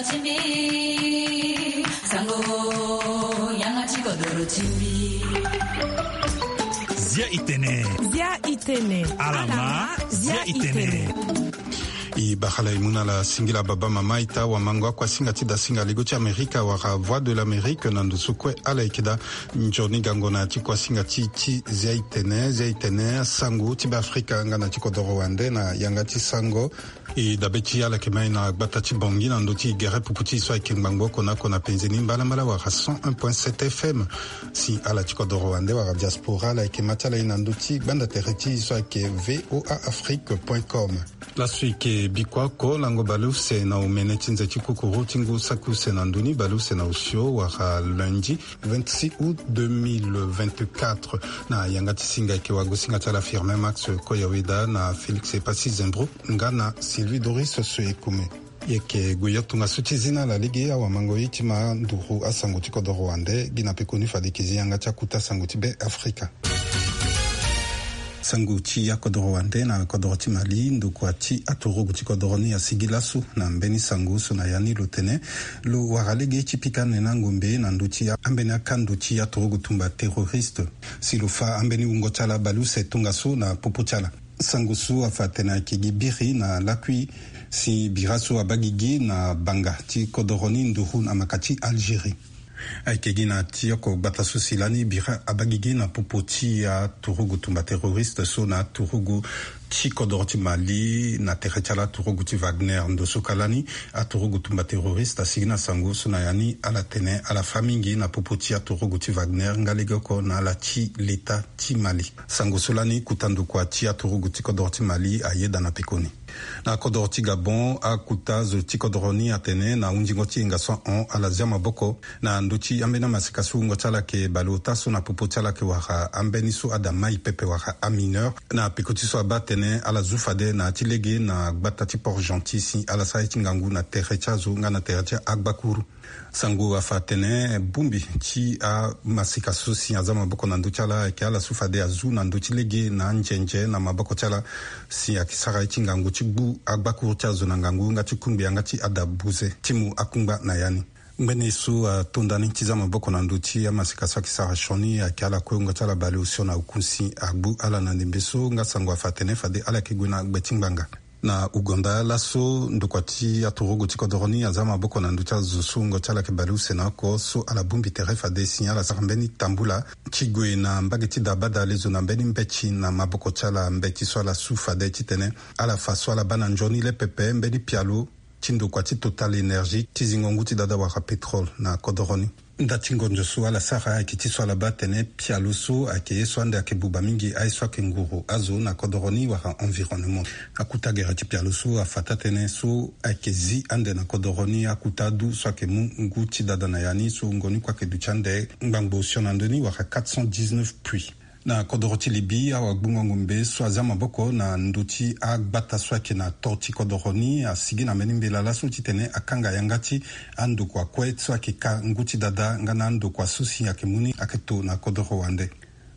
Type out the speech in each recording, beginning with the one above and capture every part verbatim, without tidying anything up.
Zia itene. Zia itene. Alama, zia itene. I bakala i mu na ala singila baba mama ita wamango akuasinga ti dasinga ligo ti Amerika wala Voix de l'Amérique na ndusu kue ala yeke daa. Nzoni gango na ya ti kuasinga ti ti zia itene, zia itene, asango ti Beafrika nga na ti kodoro wande na yanga ti sango. I dabe ti ala yeke mai na gbata ti Bangui na ndö ti gere pupu ti e so ayeke ngbangbo oko na oko na penze ni mbalambala wala cent un point sept F M. Si ala ti kodoro wande wala diaspora ala yeke ma ti ala ye na ndö ti gbanda tere ti e so ayeke V O A Afrique point com. Laso e yeke bikua oko lango baleuse na omene ti nze ti kukuru ti ngu saki use na ndö ni, baleuse na osio wala lundi vingt-six août deux mille vingt-quatre. Na yanga ti singa e yeke wagosinga ti ala Firmin Max Koyaweda na Félix Epassi Zembro nga na Sylvie Doris Soekume. E yeke gue yo tongaso ti zi na ala lege awamango ye ti ma nduru asango ti kodoro wande. Gi na pekoni fade e yeke zi yanga ti akuta sango ti Beafrika. Sango ti akodoro wande na kodoro ti Mali, ndokua ti aturugu ti kodoro ni asigi laso na mbeni sango so na ya ni lo tene lo wara lege ti pika nene angombe na ndö ti ambeni akando ti aturugu tumba terroriste. Si lo fa ambeni wungo ti ala baleuse tongaso na popo ti ala. Sango so afa atene ayeke gi biri na lakui si bira so abaa gigi na banga ti kodoro ni nduru na maka ti Algérie. Ayeke gi na ti oko gbata so si lani bira abaa gigi na popo ti aturugu tumba terroriste so na aturugu ti kodoro ti Mali na tere ti ala aturugu ti Wagner. Ndo so ka lani aturugu tumba terroriste asigi na sango so na ya ni ala tene ala fa mingi na popo ti aturugu ti Wagner nga lege oko na ala ti leta ti Mali. Sango so lani kota ndokua ti aturugu ti kodoro ti Mali ayeda na pekoni. Na kodoro ti Gabon, akuta zo ti kodoro ni atene na hunzingo ti hinga so ahon ala zia maboko na ndö ti ambeni amaseka so wungo ti ala ayeke baleota so na popo ti ala ayeke wara ambeni so ada mai pepe wara amineur. Na peko ti so abaa atene ala zu fade na ya ti lege na gbata ti Port-Gentil si ala sara ye ti ngangu na tere ti azo nga na tere ti agbakuru. Sango afa atene bongbi ti amaseka so si aza maboko na ndö ti ala ayeke ala so fade azu na ndö ti lege na anzenze na maboko ti ala si ayeke sara ye ti ngangu ti gbu agbakuru ti azo na ngangu nga ti kungbi yanga ti ada buze ti mu akungba na ya ni. Ngbene so atonda ni ti za maboko na ndö ti amaseka so ayeke sara sioni ayeke ala kue wungo ti ala baleosio na oku si agbu ala na ndembe so nga sango afa atene fade ala yeke gue na gbe ti ngbanga. Na Ouganda laso ndokua ti aturugu ti kodoro ni aza maboko na ndö ti azo so wungo ti ala yeke baleuse na oko so ala bongbi tere fade si ala sara mbeni tambula ti gue na mbage ti da baa dale zo na mbeni mbeti na maboko ti ala, mbeti so ala su fade titene ala fa so ala baa na nzoni le pepe mbeni pialo ti ndokua ti Total Énergie ti zingo ngu ti dada wala pétrole na kodoro ni. Nda ti ngonzo so ala sara ayeke ti so ala baa atene pialo so ayeke ye so ande ayeke buba mingi aye so ayeke nguru azo na kodoro ni wala environnement. Akuta gere ti pialo so afa taa-tënë so ayeke zi ande na kodoro ni akuta adu so ayeke mu ngu ti dada na ya ni so wungo ni kue ayeke duti ande ngbangbo osio na ndö ni wala quatre cent dix-neuf puits. Na kodoro ti Libye, awagbungo ngombe so aza maboko na ndö ti agbata so ayeke na to ti kodoro ni asigi na mbeni mbela laso titene akanga yanga ti andokua kue so ayeke ka ngu ti dada nga na andokua so si ayeke mu ni ayeke to na kodoro wande.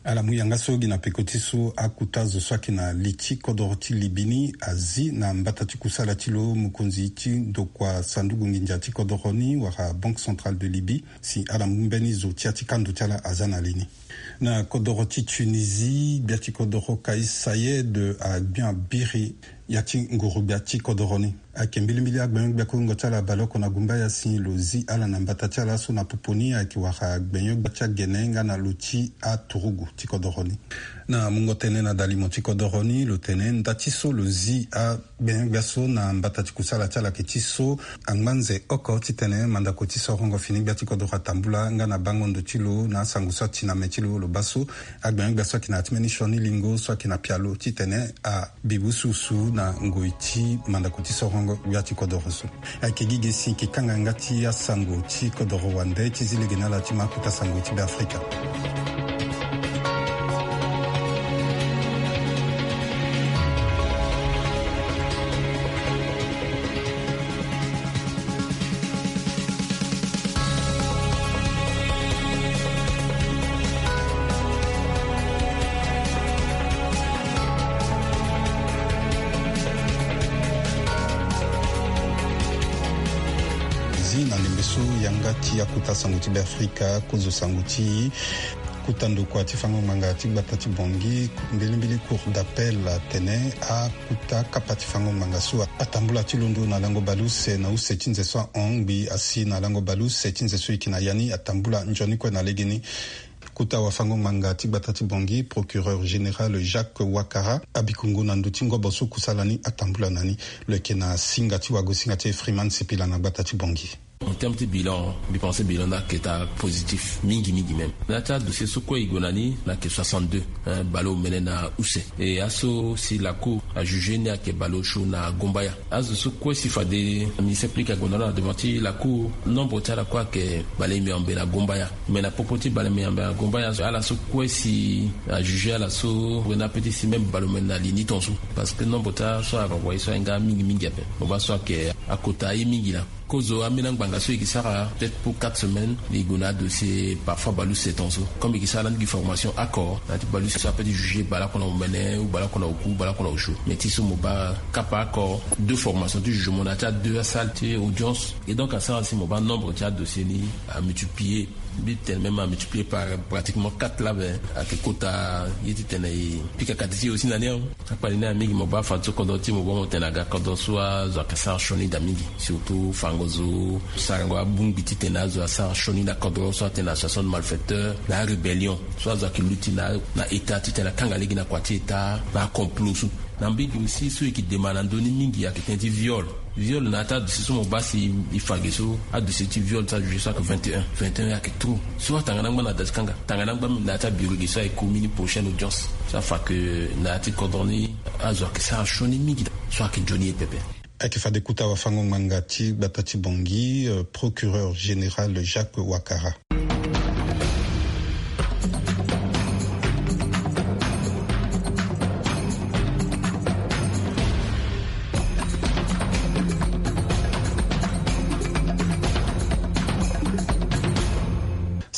Ala mu yanga so gi na peko ti so akuta zo so ayeke na li ti kodoro ti Libye ni azi na mbata ti kusala ti lo mokonzi ti ndokua sanduku nginza ti kodoro ni wala Banque Centrale de Libye si ala mu mbeni zo ti ya ti kando ti ala aza na li ni. Na kodoro ti Tunisie, gbia ti kodoro Kais Saied agbion abiri ya ti nguru gbia ti kodoro ni. Ayeke mbilimbili agbenyo-gbia kue wungo ti ala abale oko na gumbaya si lo zi ala na mbata ti ala so na popo ni ayeke wara agbenyo-gbia ti agene nga na lo ti aturugu ti kodoro ni. Na mungo tënë na dalimo ti kodoro ni lo tene nda ti so lo zi a gbenyo-gbia so na mbata ti kusala ti ala ayeke ti so angba nze oko titene mandako ti sorongo fini gbia ti kodoro atambula nga na bango ndo ti lo na asango so ati na me ti lo lo baa so agbenyo-gbia so ayeke na ya ti mbeni sioni lingo so ayeke na pialo titene abi bususu na ngoi ti mandako ti sorongo gbia ti kodoro so. Ayeke gi ge si e ke kanga yanga ti asango ti kodoro wande ti zi lege na ala ti ma akuta sango ti Beafrika. So yanga ti akota sango ti Beafrika kozo sango ti kota ndokua ti fango ngbanga ti gbata ti Bangui, mbilimbili Cour d'appel atene akota kapa ti fango ngbanga so atambula ti londo na lango baleuse na use ti nze so ahon ngbii asi na lango baleuse ti nze so eke na ya ni atambula nzoni kue na legeni. Kota wafango-ngbanga ti gbata ti Bangui, procureur général Jacques Ouattara, abikongo na ndö ti ngobo so kusala ni atambula na ni. Lo yeke na singa ti wagosinga ti Freeman Sipila na gbata ti Bangui. En terme ti bilan, mbi pense bilan ni ayeke taa positif mingi mingi même. Na ya ti adossier so kue e gue na ni, na yeke soixante-deux, hein, baleomene na use. E aso si la cour ajuge ni ayeke baleosio na Gombaya. Azo so kue si fade ministère public ague na lo na devant ti la cour, nombre ti ala kue ayeke balemeambe na Gombaya. Me na popo ti balemeambe na Gombaya, ala so kue si ajuge ala so, wena ape ti si même baleomene na li ni tongaso. Parce que nombre ti aso arenvoye so ahinga mingi mingi ape. Mo baa so ayeke akota aye mingi laa. Kozo ambeni angbanga so e ke sara peut-être pour quatre semaines, e gue na adossier parfois baleuse tongaso. Comme e ke sara lani gi formation oko na ya ti baleuse so ape ti juge baleoko na omene ou baleoko na oku, baleoko na osio. Mais ti so mo baa kapa oko deux formations ti jugement na ya ti adeux asalle ti audience. Et donc asara si mo baa nombre ti adossier ni amultiplier. Mbi tene même amultiplier par pratiquement quatre laa, ben ayeke kota ye ti tene e pika kati ti e aussi na ni. Akpali ni aye mingi, mo baa fadeso kodro ti e, mo baa mo tene aga kodro so azo ayeke sara sioni daa mingi. Surtout fango zo sarango abongbi ti tene azo asara sioni na kodro so atene association de malfaiteurs, na arébellion so azo ayeke luti na, na état ti tene akanga lege na kua ti état, na acomplot so. Na mbage aussi so e ke dema na ndö ni mingi ayeke tënë ti viol. Viol na ya ti adossier so mo baa si e fa ge so, adossier ti viol so ajuge so ayeke vingt et un. Vingt et un ayeke trop. So atanga na angba na da ti kanga, tanga na angba na ya ti abureau ge so ayeke ku mbeni prochaine audience. So afa ke na ya ti kodro ni azo ayeke sara sioni mingi so ayeke nzoni ye pepe. Ayeke fade kota wafango-ngbanga ti gbata ti Bangui, euh, procureur général Jacques Ouattara.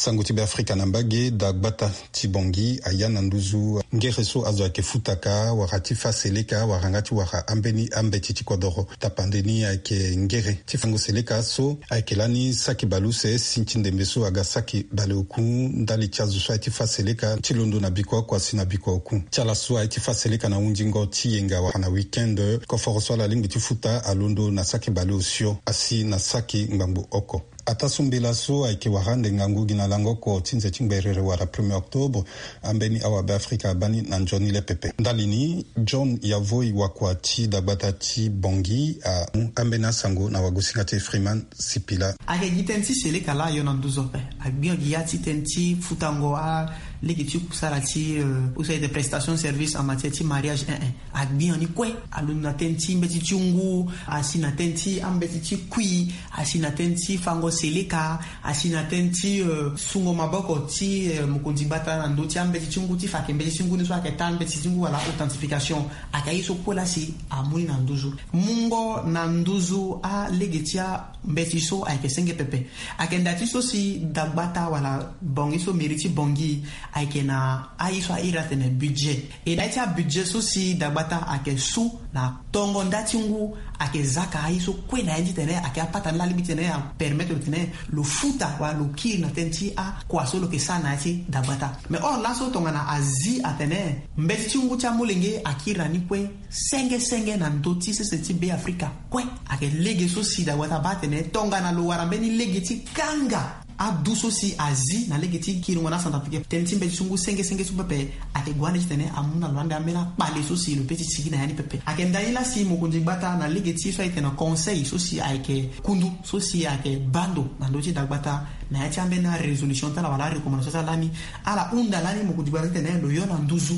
Sango ti Beafrika na mbage. Dagbata ti Bangui aya na nduzu ngere so azo ayeke futaka wala ti fâ seleka wala nga ti wara ambeni ambeti ti kodoro. Tapande ni ayeke ngere ti fango seleka so ayeke lani saki baleuse si ti ndembe so aga saki baleoku ndali ti azo so aye ti fâ seleka ti londo na bikua oko asi na bikua oku. Ti ala so aye ti fâ seleka na hundingo ti yenga wala na week-end, koforo so ala lingbi ti futa alondo na saki baleosio asi na saki ngbangbo oko. Ataa so mbela so ayeke wara ande ngangu gi na lango oko ti nze ti ngberere wala premier octobre, ambeni awabe Afrika abaa ni na nzoni le pepe. Ndali ni, John Yavoi wakua ti dagbata ti Bangui amu ambeni asango na wagosinga ti Freeman Sipila. Ayeke gi tënë ti seleka laa ayo na nduzu ape. Agbi gi ya ti tënë ti futango alege ti kusala ti, euh, use ti prestation service en matière ti mariage, eh, eh. Agbi ni kue, alondo na tënë ti mbeti ti ngu, asi na tënë ti ambeti ti kui, asi na tënë ti fango seleka, asi na tënë ti, euh, sungo maboko ti, euh, mokonzi gbata na ndö ti ambeti ti ngu ti fa ayeke mbeti ti ngu ni so ayeke taa mbeti ti ngu wala authentification. Ayeke aye so kue laa si amu ni na nduzu. Mungo na nduzu alege ti ambeti so ayeke senge pepe. Ayeke nda ti so si dagbata wala Bangui so mairie ti Bangui ayeke na aye so a iri atene budget. E na ya ti abudget so si dagbata ayeke su na tongo nda ti ngu, ayeke zaka aye so kue na ya ni ti tene ayeke apata ni laa alingbi ti tene apermettre lo tene lo futa wala lo kiri na tënë ti akua so lo yeke sara na ya ti dagbata. Mais or laso tongana azi atene mbeti ti ngu ti amolenge akiri na ni kue senge senge na ndö ti sese ti Beafrika kue. Ayeke lege so si dagbata abaa atene tongana lo wara mbeni lege ti kanga adu so si azi na lege ti kiringo na acentrafricain tënë ti mbeti ti ngu senge senge so pepe, ayeke gue ande ti tene amu na lo ande ambeni akpale so si lo peut ti sigi na ya ni pepe. Ayeke nda ni laa si mokonzi gbata na lege ti so ayeke na conseil so si ayeke kundu so si ayeke baa ndo na ndö ti dagbata na ya ti ambeni arésolution ti ala wala arecommandation ti ala lani, ala hunda lani mokonzi gbata ti tene lo yo na nduzu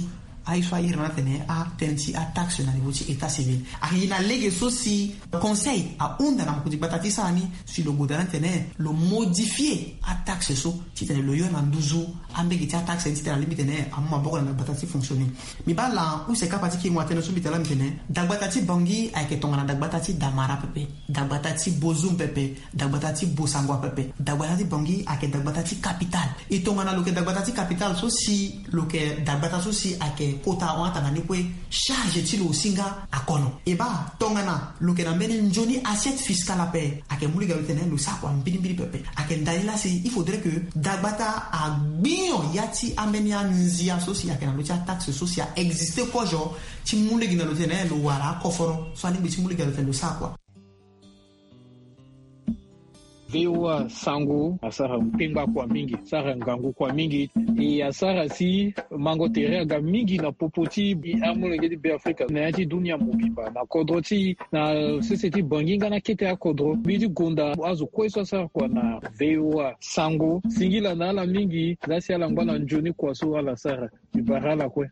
aye so a iri na atene atënë ti ataxe na niveau ti état civil. Ayeke gi na lege so si conseil ahunda na mokonzi gbata ti sara ni si lo goda na atene lo modifier ataxe so ti tene lo yo na nduzu ambege ti ataxe ni ti tene alingbi tene amu maboko na dagbata ti fonctionner. Mbi baa laa use kapa ti kiringo atene so mbi tene laa mbi tene dagbata ti Bangui ayeke tongana dagbata ti Damara pepe, dagbata ti Bozoum pepe, dagbata ti Bossangoa pepe. Dagbata ti Bangui ayeke dagbata ti capitale. E tongana lo yeke dagbata ti capitale so si lo yeke dagbata so si ayeke Kota ahon atanga ni kue, charge ti lo aussi nga akono. E baa tongana lo yeke na mbeni nzoni assiette fiscale ape, ayeke mu lege na lo titene lo sara kua mbirimbiri pepe. Ayeke ndali laa si il faudrait que dagbata agbi nyon ya ti ambeni anzia so si ayeke na lo ti ataxe so si a existe kozo ti mu lege na lo titene lo wara akoforo so alingbi ti mu lege na lo titene lo sara kua. V O A Sango asara kpengba kua mingi, asara ngangu kua mingi. E asara si mango tere aga mingi na popo ti amolenge ti Be Afrika na ya ti dunia mobimba, na kodro ti na sese ti Bangi nga na kete akodro. Mbi ti gonda azo kue so asara kua na V O A Sango, singila na ala mingi laa si ala ngba na nzoni kua so ala sara. Mbi bara ala kue.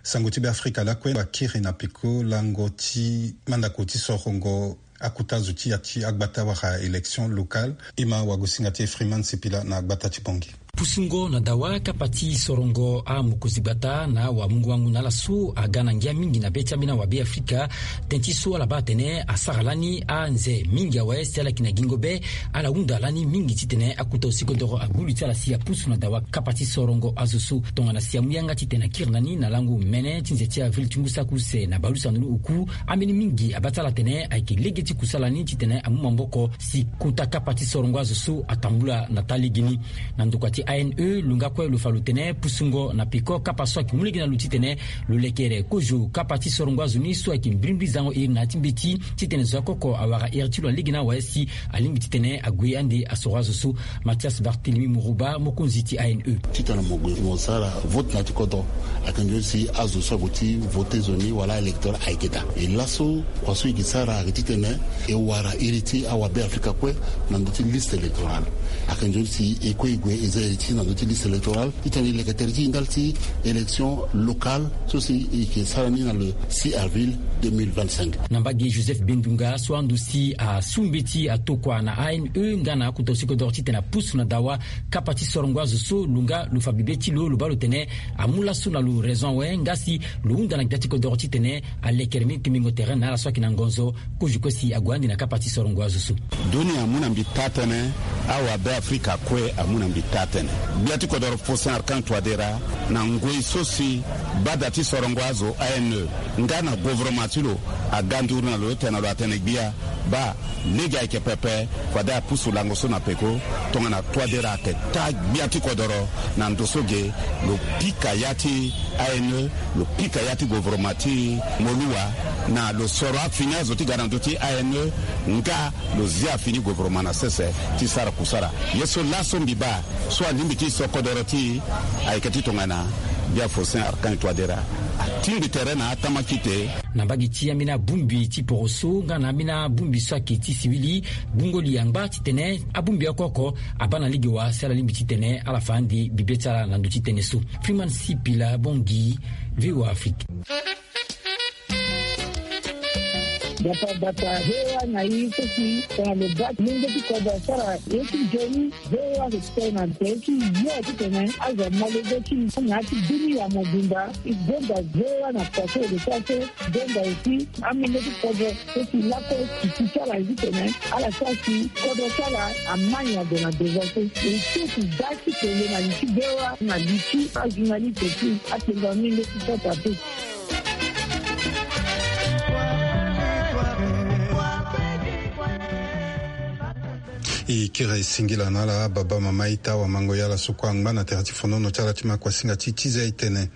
Sango ti Be Afrika lakue akiri na peko lango ti mandako ti sorongo akuta zo ti ya ti agbata wala élection locale. E ma wagosinga ti e Freeman Sipila na agbata ti Bangui. Pusungo na dawa kapa ti sorongo amokonzi gbata na awamungo-wango na ala so aga na ngia mingi na be ti ambeni awabe Afrika. Tënë ti so ala baa atene asara lani anze mingi awe si ala yeke na gingo be. Ala hunda lani mingi titene akuta osikodoro agulu ti ala si apusu na dawa kapa ti sorongo azo so. Tongana si amu yanga titene akiri na ni na lango mene ti nze ti avril ti ngu saki use na baleusana ni oku, ambeni mingi abaa ti ala atene ayeke lege ti kusala ni titene amu maboko si kota kapa ti sorongo azo so atambula na taa lege ni. Na ndokua ti A N E, lo nga kue lo fa lo tene pusungo na peko kapa so ayeke mu lege na lo titene lo lekere kozo kapa ti sorongo azo ni so ayeke mbirimbiri zango iri na ya ti mbeti titene zo akoko awara iri ti lo na lege ni awe si alingbi titene ague ande asoro azo so. Mathias Barthélemy Mourouba, mokonzi ti A N E. Titene mo gue mo sara vote na ya ti kodro, ayeke nzoni si azo so ague ti vote zo ni wala électeur ayeke daa. E laso kua so e yeke sara ayeke titene e wara iri ti awabe Afrika kue na ndö ti liste électorale. Ayeke nzoni si e kue e gue e za iri ti na ndö ti liste électorale titene e leke tere ti e ndali ti élection locale so si e yeke sara ni na le six avril deux mille vingt-cinq. Na mbage Joseph Bendunga so ando si asu mbeti atokua na A N E nga na akota osikodoro titene apusu na dawa kapa ti sorongo azo so, lo nga lo fa bibe ti lo, lo baa lo tene amu laso na lo raison awe nga si lo hunda na gbia ti kodoro titene alekere mingi kembingo tere na ala so ayeke na ngonzo. Kozo kue si ague ande na kapa ti sorongo azo so. Dunia amu na mbi taa-tënë, awabe Afrika kue amu na mbi taa-tënë. Gbia ti kodoro Faustin Archange Touadéra na ngoi so si bada ti sorongo azo A N E nga na gouvernement ti lo aga nduru na lo titene lo atene gbia baa lege ayeke pepe, fade apusu lango so na peko. Tongana Touadéra ayeke taa gbia ti kodoro na ndo so ge, lo pika ya ti A N E, lo pika ya ti gouvernement ti Moluwa, na lo soro afini azo ti ga na ndö ti A N E nga lo zia afini gouvernement na sese ti sara kusala. Ye so laso mbi baa so alingbi ti so kodoro ti e ayeke ti tongana gbia Faustin Archange Touadéra atingbi tere na atama kite. Na mbage ti ambeni abongbi ti poroso nga na ambeni abongbi so ayeke ti siwili, gbungo li angba titene abongbi oko oko abaa na lege wa si ala lingbi titene ala fa ande bibe ti ala na ndö ti tënë so. Freeman Sipila, Bangui, V O A Afrique. Gbata gbata V O A na e so si tongana lo baa mungo ti kodro asara ye ti nzoni, V O A ayeke tene na tere ti yo titene azo amolenge ti e na ya ti dunia mobimba. E gonda V O A na kua so e lo sara so, e gonda aussi amolenge ti kodro so si lakue titi ti ala ye titene ala sara si kodro ti ala amai ado na devant so. E so si da ti kele na li ti V O A na li ti ajournaliste ti atengo amolenge ti kota te. E kiri singila na ala baba mama ita wamango ya ala so kue angba na tere ti fonono ti ala ti ma kuasinga ti ti za e tene.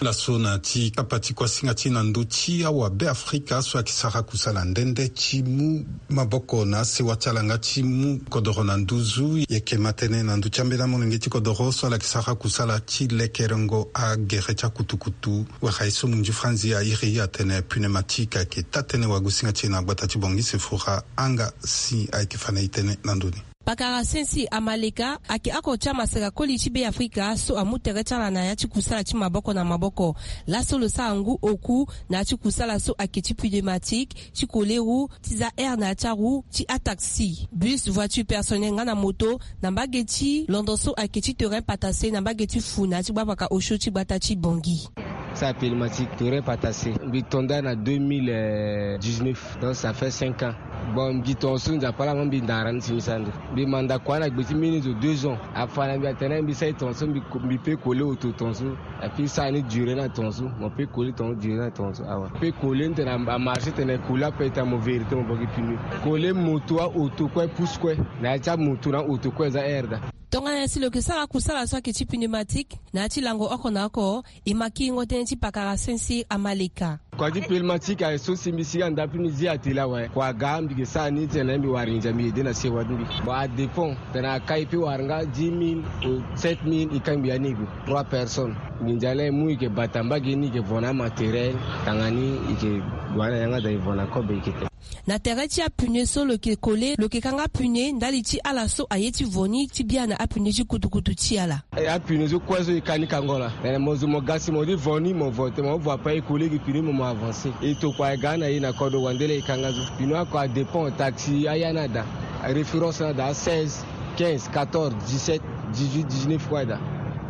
Laso na ti kapa ti kuasinga ti na ndö ti awabe Afrika so ayeke sara kusala nde nde ti mu maboko na asewa ti ala nga ti mu kodoro na nduzu. E yeke ma tënë na ndö ti ambeni amolenge ti kodoro so ala yeke sara kusala ti lekerengo agere ti akutukutu. Wala ye so munzi franzi airi atene pneumatique ayeke taa-tënë wagosinga ti e na gbata ti Bangui Sefora anga si ayeke fa na e tënë na ndö ni. Pakara Sensi Amaleka ayeke oko ti amaseka koli ti Beafrika so amu tere ti ala na ya ti kusala ti maboko na maboko. Laso lo sara ngu oku na ya ti kusala so ayeke ti pneumatique, ti koleru, ti za air na ya ti aru, ti ataxi, bus, voiture personnelle nga na moto, na mbage ti londo so ayeke ti terrain patase na mbage ti fu na ya ti gbavaka osio ti gbata ti Bangui. Sa pneumatique, terrain patase. Mbi tonda na deux mille dix-neuf, donc ça fait cinq ans. Bon, mbi tonga so Nzapa laa, mo mbi ndara ni si mbi sara ndo. Mbi manda kua na gbe ti mbeni zo deux ans. Afa na mbi atene mbi sara tonga so, mbi, mbi peut coller auto tonga so. Api sara ni duré na tonga so. Mo peut coller tonga so, duré na tonga so. Awa. Peut coller ni tene a marché, tene coller ape, tene mo vérité mo bogi pneu. Coller moto a auto kue, pousse kue. Na ya ti amoto na auto kue eza air daa. Tongana nyen si lo yeke sara kusala so ayeke ti pneumatique na ya ti lango oko na oko, e ma kiringo tënë ti pakara Sincère Amaleka. Kua ti pneumatique aye so si mbi sigi anda ape mbi zi atelier awe. Kua aga mbi yeke sara ni tene mbi wara nginza mbi aidé na sewa ti mbi. Bon, adépend. Tene akai peut wara nga dix mille ou sept mille, e kangbi ya ni e gue. Trois personnes. Nginza laa e mu, e yeke bata mbage ni, e yeke vo na amatériel. Tanga ni e yeke gue na yanga daa, e vo na kobe e yeke te. Na tere ti apneu so lo yeke coller, lo yeke kanga pneu ndali ti ala so aye ti vo ni ti bia na apneu ti kutukutu ti ala. E, apneu so kue so e ka ni kango laa. Tene mo zo mo ga si mo ti vo ni, mo vo te, mo vo ape e coller gi pneu mo, mo avancer. E tokua e ga na e na kodro wande laa e kanga so. Pneu oko adépend, taxi aya ni ada, référence ni ada, seize, quinze, quatorze, dix-sept, dix-huit, dix-neuf kue ada.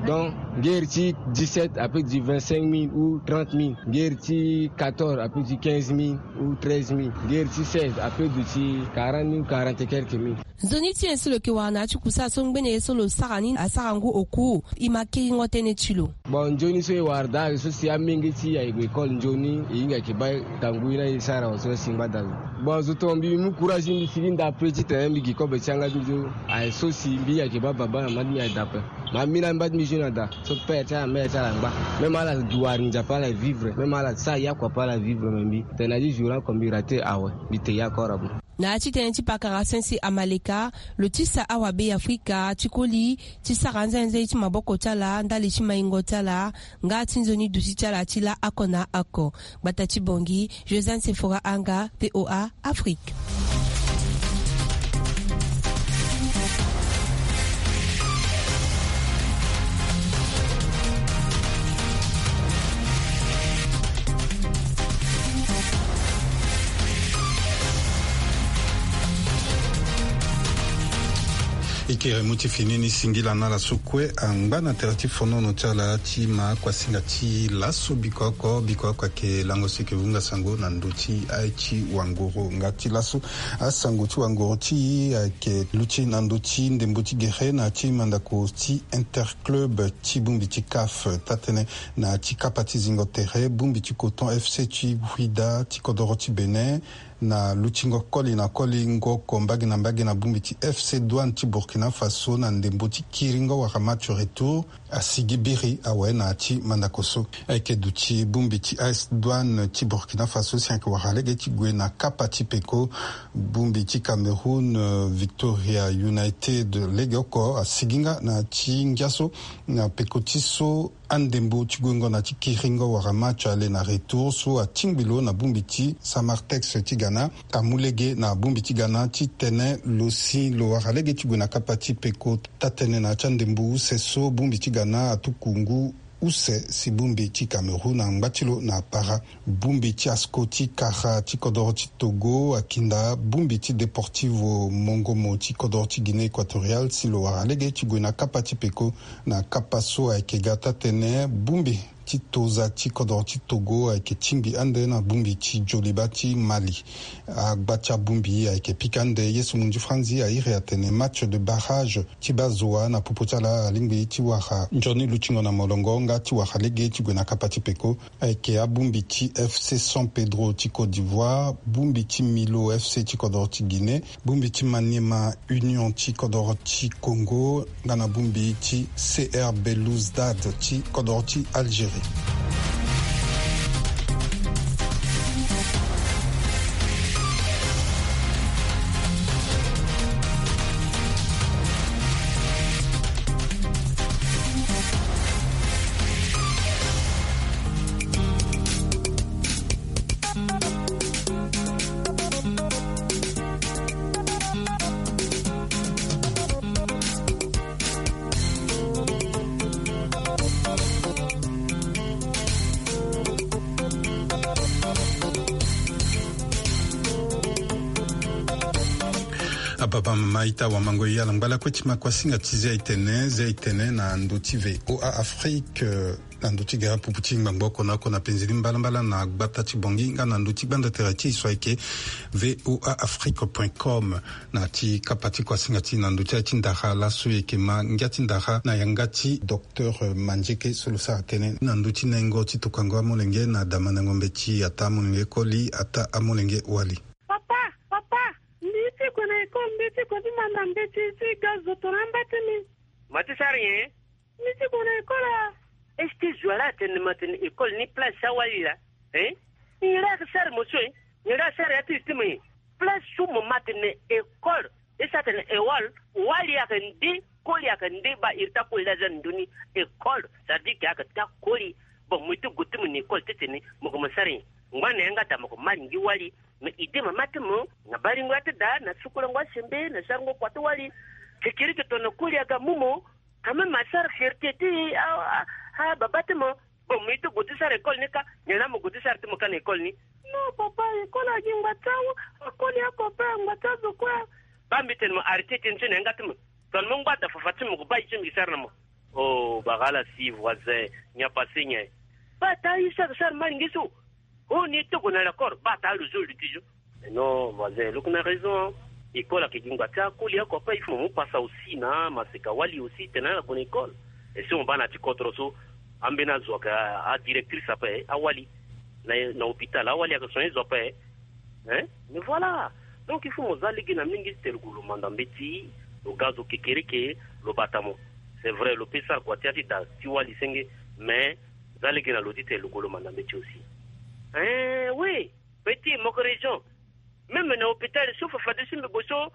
Donc ngeri ti dix-sept ape ti vingt-cinq mille ou trente mille. Ngeri ti quatorze ape ti quinze mille ou treize mille. Ngeri ti seize ape duti quarante mille ou quarante et quelques mille. Nzoni ti nyen so lo yeke wara na ya ti kusala so ngbene ye so lo sara ni asara ngu oku, e ma kiringo tënë ti lo. Bon, nzoni so e wara daa so si amenge ti e aye gue école nzoni, e hinga yeke baa tangu ye ni aye sara wa so si ngbada lo. Bon, zo tonga mbi mu courage, mbi sigi nda ape titene mbi gi kobe ti yanga ti nzo. Aye so si mbi yeke baa baba na mama ti mbi aye daa ape. Ma mbi na mba ti mbi zo na daa so père ti ala, mère ti ala angba. Même ala duwari Nzapa ala vivre, même ala sara yakua ape ala vivre, me mbi tene na ti jour oko mbi raté awe, mbi te yakora bo. Na ya ti tënë ti pakara Sincère Amaleka, lo tisa awabe Afrika ti koli ti sara nzenze ti maboko ti ala ndali ti maingo ti ala, nga ti nzoni duti ti ala ti laa oko na oko. Gbata ti Bangui, Josiane Sephora Anga, V O A Afrique. E kere mu ti fini ni singila na ala so kue angba na tere ti fonono ti ala ti ma kuasinga ti laso. Biko oko, biko oko ayeke lango so e yeke vunga sango na ndö ti aye ti wangoro. Nga ti laso, asango ti wangoro ti e ayeke luti na ndö ti ndembo ti gere na ya ti mandako ti interclub ti bongbi ti CAF, taa-tënë na ya ti kapa ti zingo tere bongbi ti Coton F C ti Ouidah ti kodoro ti Bénin, na lutingo koli na koli ngo oko mbage na mbage na bongbi ti F C Douane ti Burkina Faso na ndembo ti kiringo wala match retour, asigi biri awe na ya ti mandako so. Ayeke duti bongbi ti A S Douane ti Burkina Faso si ayeke wara lege ti gue na kapa ti peko. Bongbi ti Cameroun, euh, Victoria United, lege oko asigi nga na ya ti ngia so na peko ti so andembo ti guengo na ti kiringo wala match aller na retour so atingbi lo na bongbi ti Samartex ti Ghana, amu lege na bongbi ti Ghana titene lo si lo wara lege ti gue na kapa ti peko. Taa-tënë na ya ti andembo use so bongbi ti Ghana atuku ngu use si bongbi ti Cameroun angba ti lo na apara. Bongbi ti ASCO ti kara ti kodoro ti Togo akinda bongbi ti Deportivo Mongomo ti kodoro ti Guinée Équatoriale si lo wara lege ti gue na kapa ti peko. Na kapa so ayeke ga taa-tënë, bongbi ti toza ti kodoro ti Togo ayeke tingbi ande na bongbi ti Djoliba ti Mali. Agba ti abongbi ayeke pika ande. Ye so munzu franzi airi atene match de barrage ti baa zo wa na popo ti ala alingbi ti wara nzoni lutingo na molongo nga ti wara lege ti gue na kapa ti peko. Ayeke abongbi ti F C San Pedro ti Côte d'Ivoire, bongbi ti Milo F C ti kodoro ti Guinée, bongbi ti Maniema Union ti kodoro ti Congo, nga na bongbi ti C R Belouizdad ti kodoro ti Algérie. Papa, mama, ita, wamango, e ala ngba lakue ti ma kuasinga ti zia etene, zia etene na ndö ti VOA Afrique, eh, na ndö ti gara pupu ti ngbangbo oko na oko na penze ni mbalambala na gbata ti Bangui nga na ndö ti gbanda tere ti e so ayeke VOA Afrique point com. Na ti kapa ti kuasinga ti e na ndö ti aye ti ndara laso e yeke ma ngia ti ndara na yanga ti docteur Mandieke so lo sara tënë na ndö ti nengo ti tokuango amolenge na damandango mbeti, ataa amolenge koli, ataa amolenge wali. Papa, papa, mbi ti gue na école, mbi ti gue ti manda mbeti ti ga zo tongana amba ti mbi. Ma ti sara nyen? Mbi ti gue na école a. Est-ce que zo ala atene ma tene école ni place ti awali laa? Hein? Nyen laa ayeke sara mo so, hein? Nyen laa asara ya ti e ti mo, hein? Place so mo ma tene école, e sara tene école, wali ayeke nde, koli ayeke nde, baa iri ti akoli laa aza na ndö ni école, ça veut dire que ayeke ti akoli. Bon, mo ye ti gue ti mo na école titene mo gue mo sara nyen? Ngba na yanga daa mo gue mo malingi wali. Mais idée mama ti mo na baringo ya ti daa na sukulango asembe na sarango kua ti wali. Kekereke tongana koli aga mu mo, quand même asara fierté ti a, a, a baba ti mo. Bon, mo ye ti gue ti sara école ni kâ, nyen laa mo gue ti sara ti mo kâ na école ni? Non papa, école agi ngba ti awa, akoli akope ngba ti azo kue. Baa mbi tene mo arrêter tënë so na yanga ti mo. Tongana mo ngba daa fafa ti mo gue baa ye ti mbi sara na mo. Oh, bagala si voisin, nyen apase nyen? Baa taa ye sara sara malingi so. Oh, ni ti gue na l'école, baa taa lo zo lo ti zo. Non, voisin, lo yeke na raison. École ayeke gi ngba ti akoli akope, il faut mo mu pasa aussi na maseka wali aussi tene ala gue na école. Et si mo baa na ya ti kodro so, ambeni azo ayeke a, adirectrice ape, awali. Na, na hôpital, awali ayeke soigner zo ape. Hein? Mais voilà. Donc, il faut mo za lege na mingi titene lo gue lo manda mbeti, lo ga zo kekereke, lo bata mo. C'est vrai, lo peut sara kua ti ya ti daa ti wali senge, mais za lege na lo titene lo gue lo manda mbeti aussi. Hein, oui. Petit, mo yeke raison. Même na hôpital so fafa ti so mbi gue so.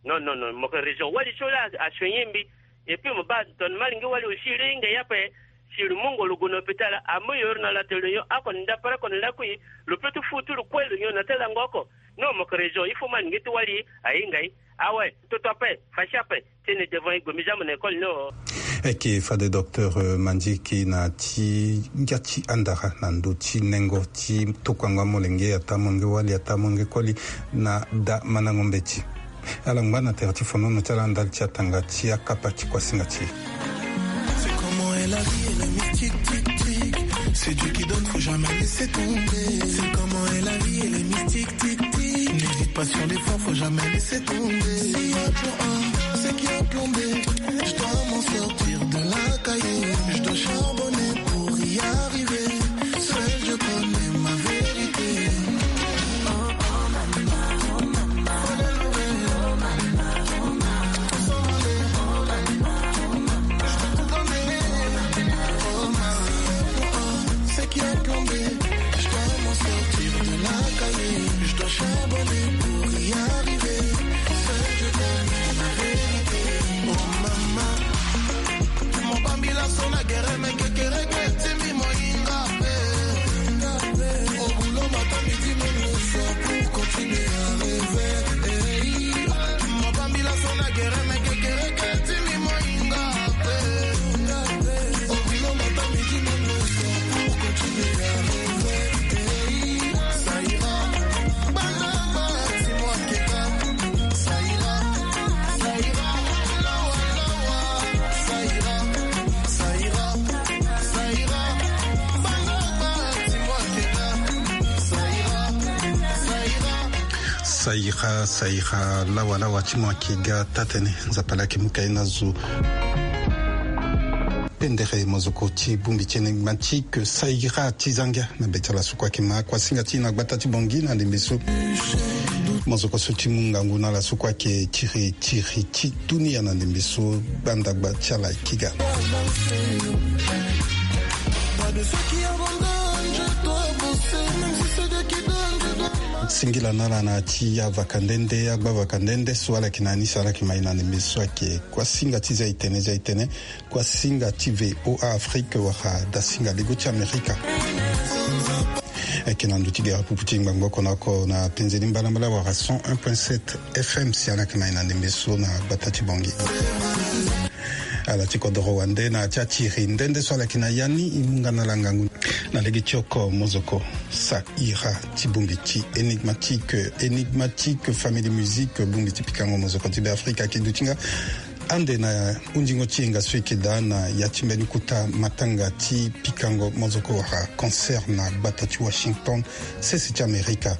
Non, non, non, mo yeke raison. Wali so laa asoigner mbi. Et puis mo baa tongana malingi wali aussi lo hinga ye ape. Si lo mungo lo gue na hôpital, amu yo iri na la télé, yo oko na ndapara oko na lakui. Lo peut ti fu ti lo kue lo nyon na ti lango oko. Non, mo yeke raison. Il faut malingi ti wali ahinga ye. Ah ouais, toto ape, fâché ape. Tene devant e gue mbi za mo na école ni o. Ayeke fade docteur, euh, Mandieke na ti ngia ti andara na ndö ti nengo ti tokuango amolenge, ataa amolenge wali, ataa amolenge koli na damandango mbeti. Ala ngba na tere ti fonono ti ala ndali ti atanga ti akapa ti kuasinga ti e. C'est comment est la vie, elle est mystique, tic, tic. C'est Dieu qui donne, faut jamais laisser tomber. C'est comment est la vie, elle est mystique, tic, tic. N'hésite pas sur l'effort, faut jamais laisser tomber. S'il y a plan A, c'est qu'il y a plan B. Je dois m'en sortir de la cahier. Je dois charbonner pour y arriver. Seul Dieu connaît ma vérité. C'est qui a plombé? Je dois m'en sortir de la cahier. Je dois charbonner pour y arriver. Seul Dieu connaît ma vérité. Oh maman, mo bambi laso na gere me kekereke ti mbi mo hinga pe. Au boulot matin, midi, même le soir pour continuer à rêver. Hey, mo bambi laso na gere me kekereke ti mbi mo hinga pe. Au boulot matin, midi, même le soir pour continuer à rêver. Hey, ça ira. Bana, bana, dis-moi que ça ira, ça ira, lawa, lawa, ça ira, ça ira, ça ira. Bana, bana, dis-moi que ça ira, ça ira. Ça ira, ça ira, lawa, lawa, ti mo ayeke ga taa-tënë, Nzapa laa ayeke mu ka ye na zo. Pendere mozoko ti bongbi ti e ni, ma ti ke ça ira ti za ngia na be ti ala so kue ayeke ma kuasinga ti e na gbata ti Bangui na ndembe so. Mozoko so ti mu ngangu na ala so kue ayeke tiri tiri ti dunia na ndembe so, gbandagba ti ala ayeke ga. Singila na ala na ya ti avaka nde nde, agba vaka nde nde so ala yeke na ya ni, so ala yeke ma e na ndembe so ayeke kuasinga ti za e tene, za e tene. Kuasinga ti VOA Afrique wala dasinga lego ti Amerika. Ayeke na ndö ti gere pupu ti ngbangbo oko na oko na penze ni mbalambala wala cent un point sept F M si ala yeke ma e na ndembe so na gbata ti Bangui. Ala ti kodoro wande na ya ti atiri nde nde so ala yeke na ya ni, e mu nga na ala ngangu. Na lege ti oko mozoko, sa ira ti bongbi ti Énigmatique. Énigmatique, famille de musique, bongbi ti pikango mozoko ti Beafrika, ake duti nga ande na hundingo ti yenga so eke daa na ya ti mbeni kota matanga ti pikango mozoko wala concert na gbata ti Washington, sese ti Amerika.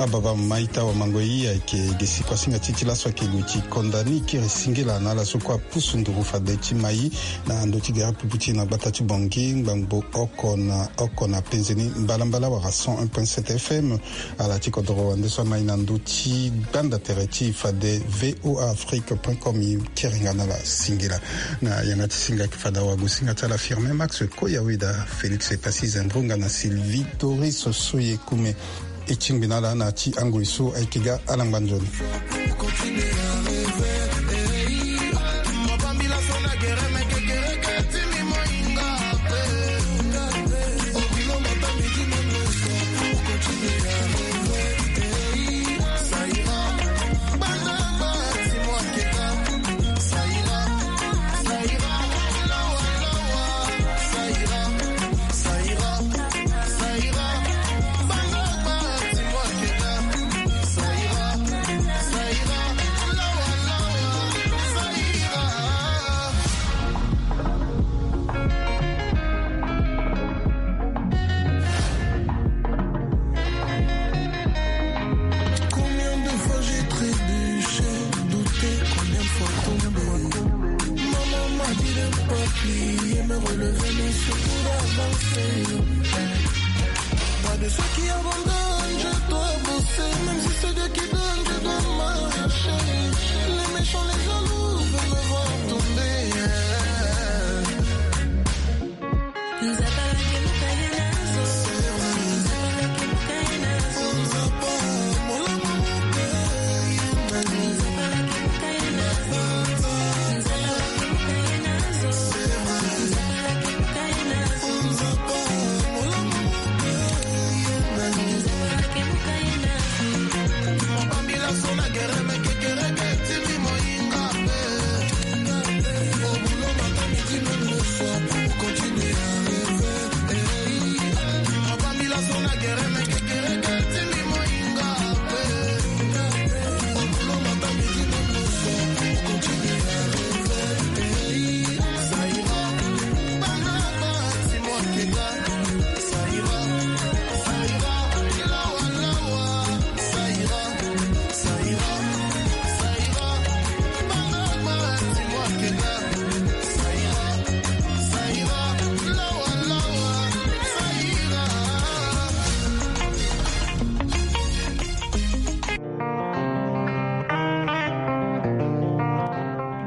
Ababa maita wa mango i ayeke gi si kua singa ti ti laso ayeke gue ti konda ni kiri singila na ala so kue apusu nduru fade ti mai na ndö ti gere pupu ti na gbata ti Bangui, ngbangbo oko na oko na penze ni mbalambala wala cent un point sept F M. Ala ti kodoro wande so amai na ndö ti gbanda tere ti fade V O A Afrique point com, i kiri nga na ala singila. Na yanga ti singa ayeke fada wago singa ti ala Firmin Max Koyaweda, Félix Epassi Zendronga na Sylvie Doris Soye Kume. E tingbi na ala na ya ti angoi so ayeke ga alangba nzoni. Combien de fois j'ai trébuché, douté, combien de fois tombé. Maman m'a dit de ne pas plier, me relever, mais surtout d'avancer. Pas de ceux qui abandonnent, je dois bosser. Même si c'est Dieu qui donne, je dois marcher. Les méchants, les jaloux veulent me voir tomber.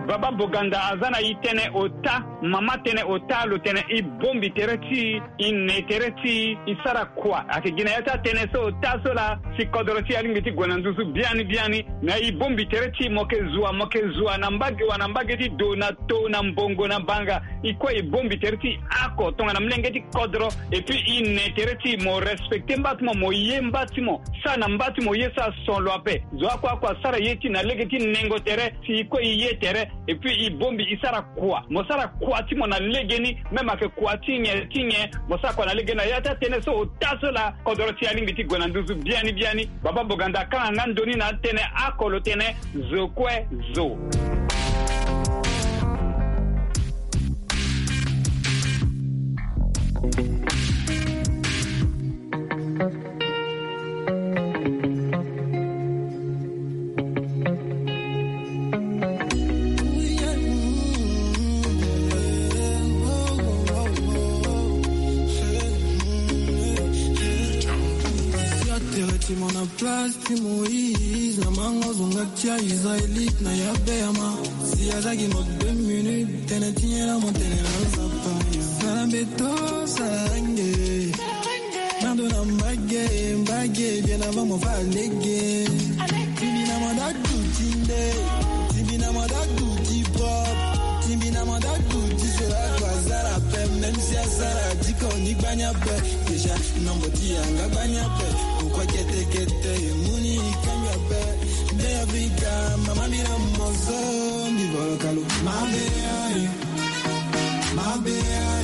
Baba Boganda aza na e tënë ota, mama tënë ota, lo tene e bongbi tere ti e, e ne tere ti e, e sara kua. Ayeke gi na ya ti atënë so ota so laa, si kodoro ti e alingbi ti gue na nduzu biani biani. Na e bongbi tere ti e, mo yeke zua, mo yeke zua na mbage wa na mbage ti do, na to, na mbongo, na banga. E kue e bongbi tere ti e oko tongana molenge ti kodro. Et puis e ne tere ti e, mo respecter mba ti mo, mo ye mba ti mo, sara na mba ti mo ye so ason lo ape. Zo oko oko asara ye ti e na lege ti nengo tere, si e kue e ye tere. Et puis e bongbi e sara kua. Mo sara kua ti mo na legeni, même ayeke kua ti nyen ti nyen, mo sara kua na legeni. Na ya ti atënë so ota so laa, kodoro ti e alingbi ti gue na nduzu biani biani. Baba Boganda akanga nga ndoni na atënë oko, lo tene zo kue zo. Place ti Moïse, na mango zonga ti Israélite na ya Béama. Si azaki mo deux minutes, tene ti nyela mo tene na nzapa. Sala beto, sala range. Nando na mbage, mbage, bien avant mo fa lege. Timbi na manda duti nde. Timbi na manda duti pop. Timbi na manda duti sela kwa zara pe, même si a Sara diko ni gbani ape. Déjà, nombo ti yanga gbani ape. Pourquoi kete kete, e mu ni kanga ape. Nde Afrika, mama mi na mozo, mi bolo kalu. Mabe ayo, mabe ayo.